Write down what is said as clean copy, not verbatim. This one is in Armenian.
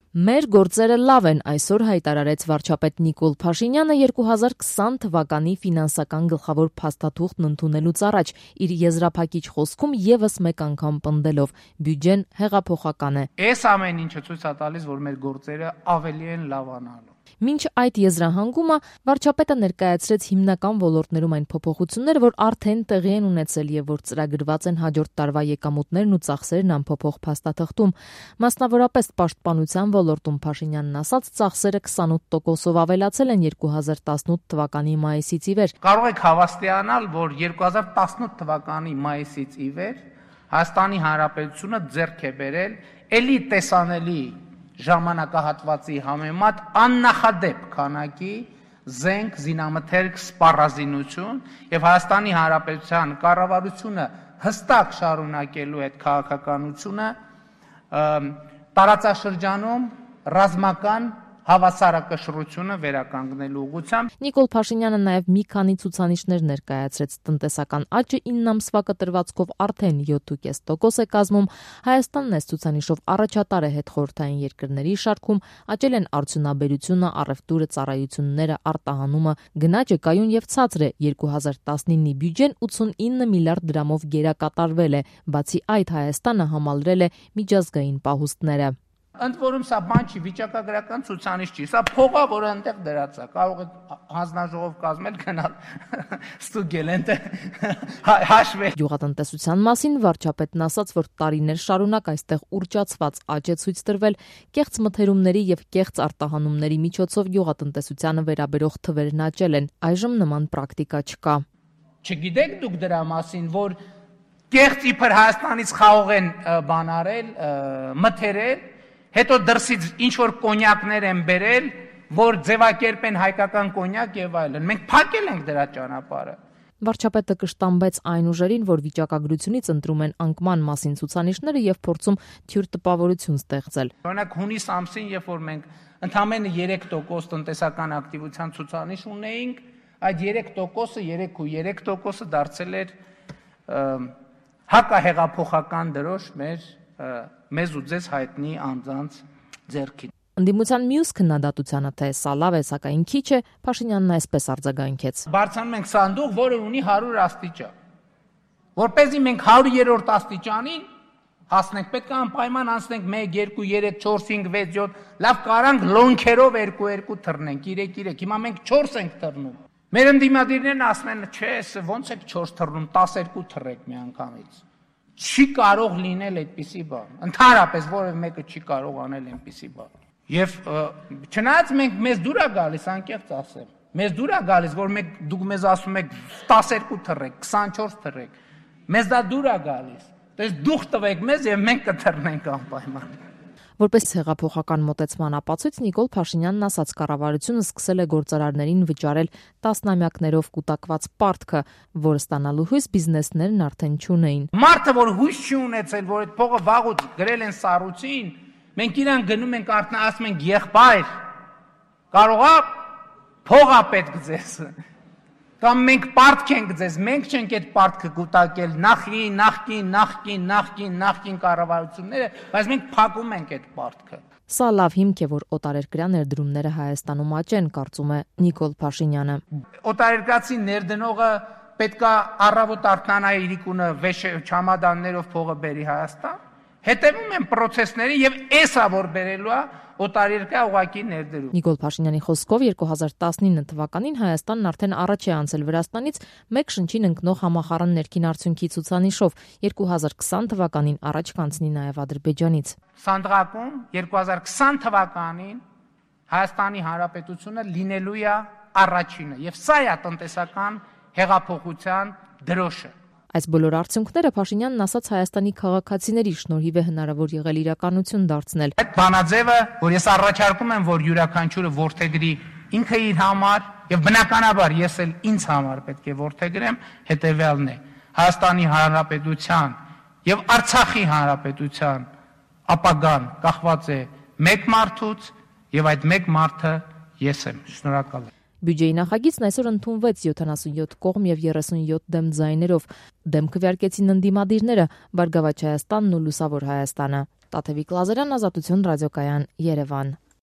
Մեր գործերը լավ են, այսօր հայտարարեց վարչապետ Նիկոլ Փաշինյանը 2020 թվականի ֆինանսական գլխավոր փաստաթուղթն ընդունելուց առաջ իր եզրափակիչ խոսքում եւս մեկ անգամ պնդելով բյուջեն հեղափոխական է։ Այս ամեն ինչը ցույց է տալիս, որ մեր գործերը ավելի են լավանալու։ Մինչ այդ եզրահանգումը վարչապետը ներկայացրեց հիմնական ոլորտներում այն փոփոխությունները, որ արդեն տեղի են ունեցել եւ որ ծրագրված են հաջորդ տարվա եկամուտներն ու ծախսերն անփոփոխ փաստաթղթում։ Մասնավորապես պաշտպանության ոլորտում Փաշինյանն ասաց, ծախսերը 28%-ով ավելացել են 2018 թվականի մայիսից ի վեր։ Կարող եք հավաստիանալ, որ 2018 թվականի մայիսից ի վեր Հայաստանի Հանրապետությունը ձեռք է բերել էլի տեսանելի ժամանակահատվածի համեմատ աննախադեպ քանակի զենք, զինամթերք, սպառազինություն եւ Հայաստանի Հանրապետության կառավարությունը հստակ շարունակելու այդ քաղաքականությունը տարածաշրջանում ռազմական հավասարակշռությունը վերականգնելու ուղղությամբ։ Նիկոլ Փաշինյանը նաև մի քանի ցուցանիշներ ներկայացրեց։ Տնտեսական աճը 9 ամսվա կտրվածքով արդեն 7.5% է կազմում։ Հայաստանն այս ցուցանիշով առաջատար է հետխորհրդային երկրների շարքում, աճել են արդյունաբերությունը, առևտուրը, ծառայությունները, արտահանումը, գնաճը կայուն եւ ցածր է։ 2019-ի բյուջեն 89 միլիարդ դրամով գերակատարվել է։ Բացի այդ, Հայաստանը համալրել է միջազգային պահուստները։ Ընդ որում սա բան չի, վիճակագրական ցուցանիշ չի, սա փող է, որը այնտեղ դրած է, կարող է հանձնաժողով կազմել, գնալ ստուգել այնտեղ հաշվել։ Գյուղատնտեսության մասին վարչապետն ասաց, որ տարիներ շարունակ այստեղ ուռճացված աճ է ցույց տրվել, կեղծ մթերումների եւ կեղծ արտահանումների միջոցով գյուղատնտեսությանը վերաբերող թվերն աճել են։ Այժմ նման պրակտիկա չկա։ Չգիտեք դուք դրա մասին, որ կեղծ իբր Հայաստանից խաղող են բան արել, մթերել, հետո դրսից ինչ որ կոնյակներ են բերել, որ ձևակերպեն հայկական կոնյակ եւ այլն։ Մենք փակել ենք դրա ճանապարհը։ Վարչապետը կշտամբեց այն ուժերին, որ վիճակագրությունից ընտրում են անկման մասին ցուցանիշները եւ փորձում թյուր տպավորություն ստեղծել։ Օրինակ հունիս ամսին, երբ որ մենք ընդամենը 3% տնտեսական ակտիվության ցուցանիշ ունեինք, այդ 3%-ը 3.3%-ը դարձել էր հակահեղափոխական դրոշ մեզ ու ձեզ հայտնի անձանց ձեռքին։ Ընդդիմության մյուս քննադատությանը, թե սա լավ է, սակայն քիչ է, Փաշինյանն այսպես արձագանքեց։ Բարձրանում ենք սանդուղ, որը ունի 100 աստիճան։ Որպեսզի մենք 100-րդ աստիճանին հասնենք, պետք է անպայման անցնենք 1, 2, 3, 4, 5, 6, 7, լավ կարանք լոնքերով 2-2 թռնենք, 3-3, հիմա մենք 4 ենք թռնում։ Մեր ընդդիմադիրներն ասում են, չէ, ոնց եք 4 թռնում, 12 թռեք մի անգամից։ Չի կարող լինել այդպիսի բան։ Ընդհանրապես որևէ մեկը չի կարող անել այնպիսի բան։ Եվ չնայած մեզ դուր է գալիս, անկեղծ ասեմ, մեզ դուր է գալիս, որ դուք մեզ ասում եք 12 թռեք, 24 թռեք, մեզ դա դուր է գալիս։ Դες դուխ տվեք մեզ եւ մենք կթռնենք անպայման։ Որպես հեղափոխական մոտեցման ապացույց Նիկոլ Փաշինյանն ասաց, կառավարությունը սկսել է գործարարներին վճարել տասնամյակներով կուտակված պարտքը, որը ստանալու հույս բիզնեսներն արդեն չունեին։ Մարդը, որ հույս չի ունեցել, որ այդ փողը վաղուց գրել են սառույցին, մենք իրան գնում ենք արդեն ասում ենք եղբայր, կարողա փողա պետք ձեզ։ Կամ մենք պարտք ենք ձեզ, մենք չենք այդ պարտքը կուտակել նախկին կառավարությունները, բայց մենք փակում ենք այդ պարտքը։ Սա լավ հիմք է, որ օտարերկրյա ներդրումները Հայաստանում աճեն, կարծում է Նիկոլ Փաշինյանը։ Օտարերկրացի ներդնողը պետք է առավոտ արթնանա իրիկունը չամադաններով փողը բերի Հայաստան, հետևում են պրոցեսների եւ էսա որ բերելու է օտարերկրյա ուղղակի ներդրում։ Նիկոլ Փաշինյանի խոսքով 2019 թվականին Հայաստանն արդեն առաջ է անցել Վրաստանից մեկ շնչին ընկնող համախառն ներքին արդյունքի ցուցանիշով, 2020 թվականին առաջ կանցնի նաև Ադրբեջանից։ Սանդղակում 2020 թվականին Հայաստանի Հանրապետությունը լինելու է առաջինը եւ սա է տնտեսական հեղափոխության դրոշը։ Այս բոլոր արդյունքները Փաշինյանն ասաց Հայաստանի քաղաքացիների շնորհիվ է հնարավոր եղել իրականություն դարձնել։ Այդ բանաձևը, որ ես առաջարկում եմ, որ յուրաքանչյուրը ворթեգրի ինքը իր համար եւ բնականաբար ես էլ ինձ համար պետք է ворթեգրեմ, հետեւյալն է. Հայաստանի Հանրապետության եւ Արցախի Հանրապետության ապագան կախված է մեկ մարդուց եւ այդ մեկ մարդը ես եմ։ Շնորհակալ եմ։ Բյուջեի նախագիծն այսօր ընդունվեց 77 կողմ եւ 37 դեմ ձայներով։ Դեմ քվեարկեցին ընդդիմադիրները, Բարգավաճ Հայաստանն ու Լուսավոր Հայաստանը։ Տաթևիկ Լազարյան, Ազատություն ռադիոկայան, Երևան։